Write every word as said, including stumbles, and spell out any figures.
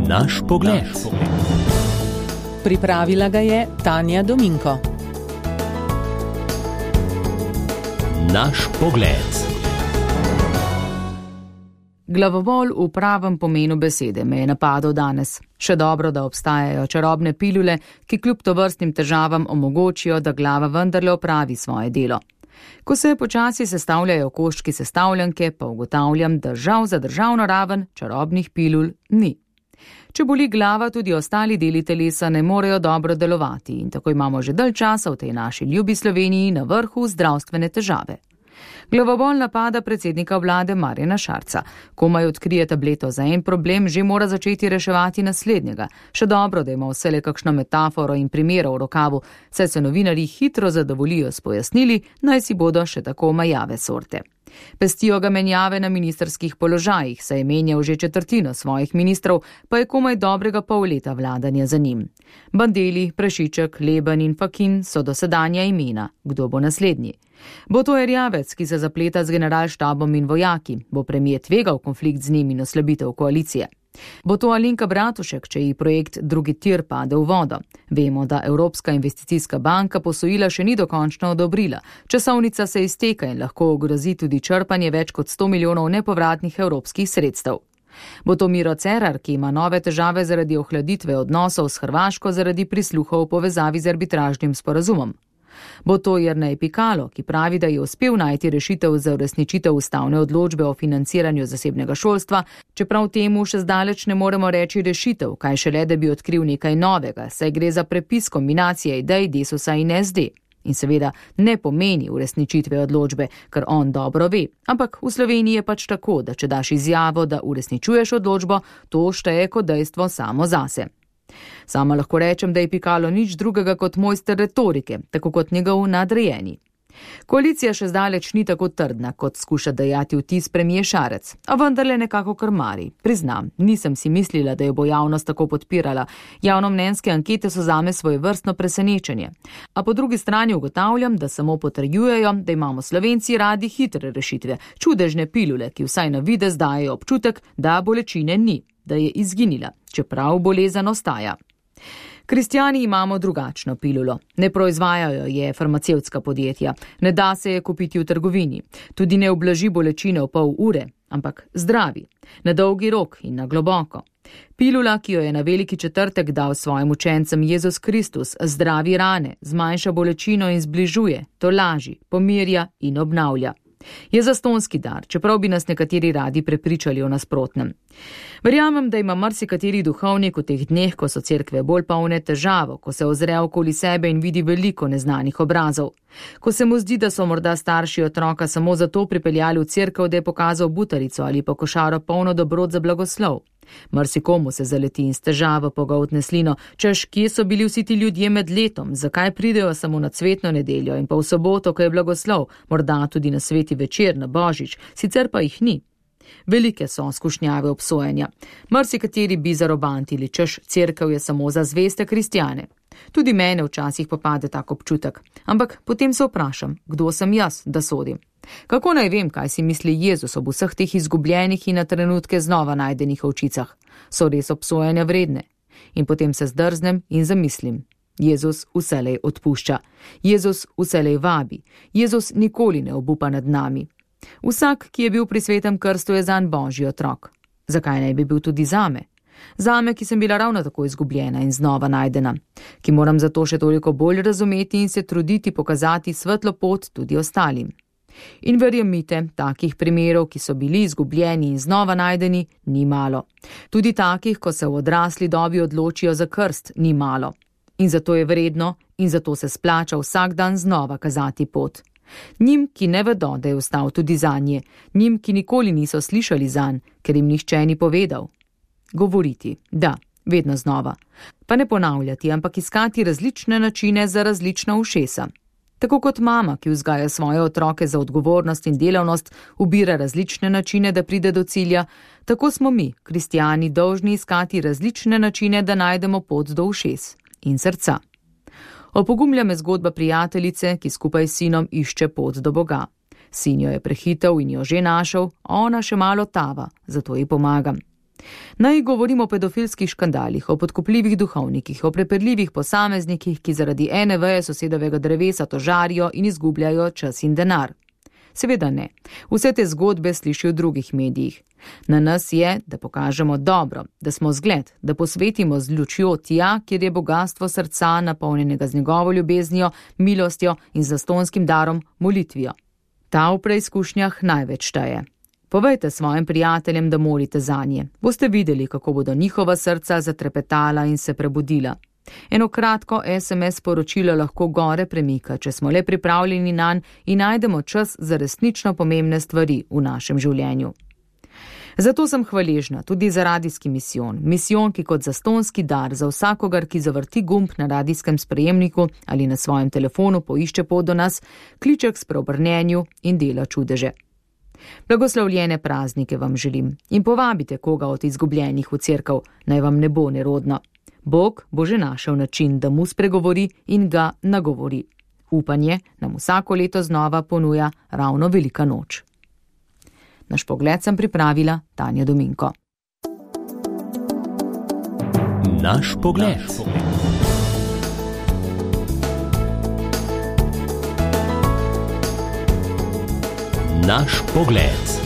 Naš pogled. Pripravila ga je Tanja Dominko. Naš pogled. Glavobol v pravem pomenu besede me je napadel danes. Še dobro, da obstajajo čarobne pilule, ki kljub tovrstnim težavam omogočijo, da glava vendarle opravi svoje delo. Ko se počasi sestavljajo koščki sestavljanke, pa ugotavljam, da žal za državno raven čarobnih pilul ni. Če boli glava, tudi ostali deli telesa ne morejo dobro delovati in tako imamo že dalj časa v tej naši ljubi Sloveniji na vrhu zdravstvene težave. Glavobol napada predsednika vlade Marjana Šarca. Komaj odkrije tableto za en problem, že mora začeti reševati naslednjega. Še dobro, da ima vsele kakšno metaforo in primero v rokavu, saj se novinarji hitro zadovoljijo s pojasnili, naj si bodo še tako majave sorte. Pestijo ga menjave na ministrskih položajih, saj je menjal že četrtino svojih ministrov, pa je komaj dobrega pol leta vladanja za njim. Bandelli, Prešiček, Leben in Fakin so dosedanja imena. Kdo bo naslednji? Bo to Erjavec, ki se zapleta z generalštabom in vojaki? Bo premier tvegal konflikt z njim in oslabitev koalicije? Bo to Alenka Bratušek, če ji projekt drugi tir pade v vodo? Vemo, da Evropska investicijska banka posojila še ni dokončno odobrila. Časovnica se izteka in lahko ogrozi tudi črpanje več kot sto milijonov nepovratnih evropskih sredstev. Bo to Miro Cerar, ki ima nove težave zaradi ohladitve odnosov s Hrvaško zaradi prisluhov v povezavi z arbitražnim sporazumom? Bo to Jernej Pikalo, ki pravi, da je uspel najti rešitev za uresničitev ustavne odločbe o financiranju zasebnega šolstva, čeprav temu še zdaleč ne moremo reči rešitev, kaj šele, da bi odkril nekaj novega, saj gre za prepis kombinacije idej Desusa in S D. In seveda ne pomeni uresničitve odločbe, kar on dobro ve. Ampak v Sloveniji je pač tako, da če daš izjavo, da uresničuješ odločbo, to šteje kot dejstvo samo zase. Sama lahko rečem, da je Pikalo nič drugega kot mojster retorike, tako kot njegov nadrejeni. Koalicija še zdaleč ni tako trdna, kot skuša dajati vtis premier Šarec, a vendarle nekako krmari. Priznam, nisem si mislila, da jo bo javnost tako podpirala. Javnomnenjske ankete so zame svojevrstno presenečenje. A po drugi strani ugotavljam, da samo potrjujejo, da imamo Slovenci radi hitre rešitve, čudežne pilule, ki vsaj na videz dajejo občutek, da bolečine ni, da je izginila, čeprav bolezen ostaja. Kristjani imamo drugačno pilulo. Ne proizvajajo je farmacevtska podjetja, ne da se je kupiti v trgovini, tudi ne ublaži bolečine v pol ure, ampak zdravi, na dolgi rok in na globoko. Pilula, ki jo je na veliki četrtek dal svojim učencem Jezus Kristus, zdravi rane, zmanjša bolečino in zbližuje, tolaži, pomirja in obnavlja. Je zastonski dar, čeprav bi nas nekateri radi prepričali o nasprotnem. Verjamem, da ima marsikateri duhovnik v teh dneh, ko so cerkve bolj polne, težavo, ko se ozre okoli sebe in vidi veliko neznanih obrazov. Ko se mu zdi, da so morda starši otroka samo zato pripeljali v cerkev, da je pokazal butarico ali pa košaro polno dobrot za blagoslov. Marsikomu se zaleti in s težavo pogoltne slino, češ, kje so bili vsi ti ljudje med letom, zakaj pridejo samo na cvetno nedeljo in pa v soboto, ko je blagoslov, morda tudi na sveti večer, na božič, sicer pa jih ni. Velike so skušnjave obsojenja. Marsikateri bi zarobantili, češ, cerkev je samo za zveste kristjane. Tudi mene včasih popade tak občutek, ampak potem se vprašam, kdo sem jaz, da sodim. Kako naj vem, kaj si misli Jezus ob vseh teh izgubljenih in na trenutke znova najdenih ovčicah? So res obsojanja vredne? In potem se zdrznem in zamislim. Jezus vselej odpušča. Jezus vselej vabi. Jezus nikoli ne obupa nad nami. Vsak, ki je bil pri svetem krstu, je zanj Božji otrok. Zakaj naj bi bil tudi zame? Zame, ki sem bila ravno tako izgubljena in znova najdena, ki moram zato še toliko bolj razumeti in se truditi pokazati svetlo pot tudi ostalim. In verjemite, takih primerov, ki so bili izgubljeni in znova najdeni, ni malo. Tudi takih, ko se v odrasli dobi odločijo za krst, ni malo. In zato je vredno in zato se splača vsak dan znova kazati pot. Njim, ki ne vedo, da je ostal tudi zanje, njim, ki nikoli niso slišali zanj, ker jim nihče ni povedal. Govoriti, da, vedno znova. Pa ne ponavljati, ampak iskati različne načine za različna ušesa. Tako kot mama, ki vzgaja svoje otroke za odgovornost in delavnost, ubira različne načine, da pride do cilja, tako smo mi, kristjani, dolžni iskati različne načine, da najdemo pot do ušes in srca. Opogumlja me zgodba prijateljice, ki skupaj s sinom išče pot do Boga. Sin jo je prehitev in jo že našel, ona še malo tava, zato ji pomagam. Naj govorimo o pedofilskih škandalih, o podkupljivih duhovnikih, o prepirljivih posameznikih, ki zaradi ene veje sosedovega drevesa tožarijo in izgubljajo čas in denar. Seveda ne. Vse te zgodbe sliši v drugih medijih. Na nas je, da pokažemo dobro, da smo zgled, da posvetimo z lučjo tja, kjer je bogatstvo srca napolnjenega z njegovo ljubeznijo, milostjo in zastonskim darom molitvijo. Ta v preizkušnjah največ šteje. Povejte svojim prijateljem, da molite zanje. Boste videli, kako bodo njihova srca zatrepetala in se prebudila. Eno kratko es em es sporočilo lahko gore premika, če smo le pripravljeni nanj in najdemo čas za resnično pomembne stvari v našem življenju. Zato sem hvaležna tudi za radijski misijon. Misijon, ki kot zastonski dar za vsakogar, ki zavrti gumb na radijskem sprejemniku ali na svojem telefonu poišče pot do nas, kliče k spreobrnenju in dela čudeže. Blagoslovljene praznike vam želim in povabite koga od izgubljenih v cerkev, naj vam ne bo nerodno. Bog bo že našel način, da mu spregovori in ga nagovori. Upanje nam vsako leto znova ponuja ravno velika noč. Naš pogled sem pripravila Tanja Dominko. Naš pogled. Naš pogled.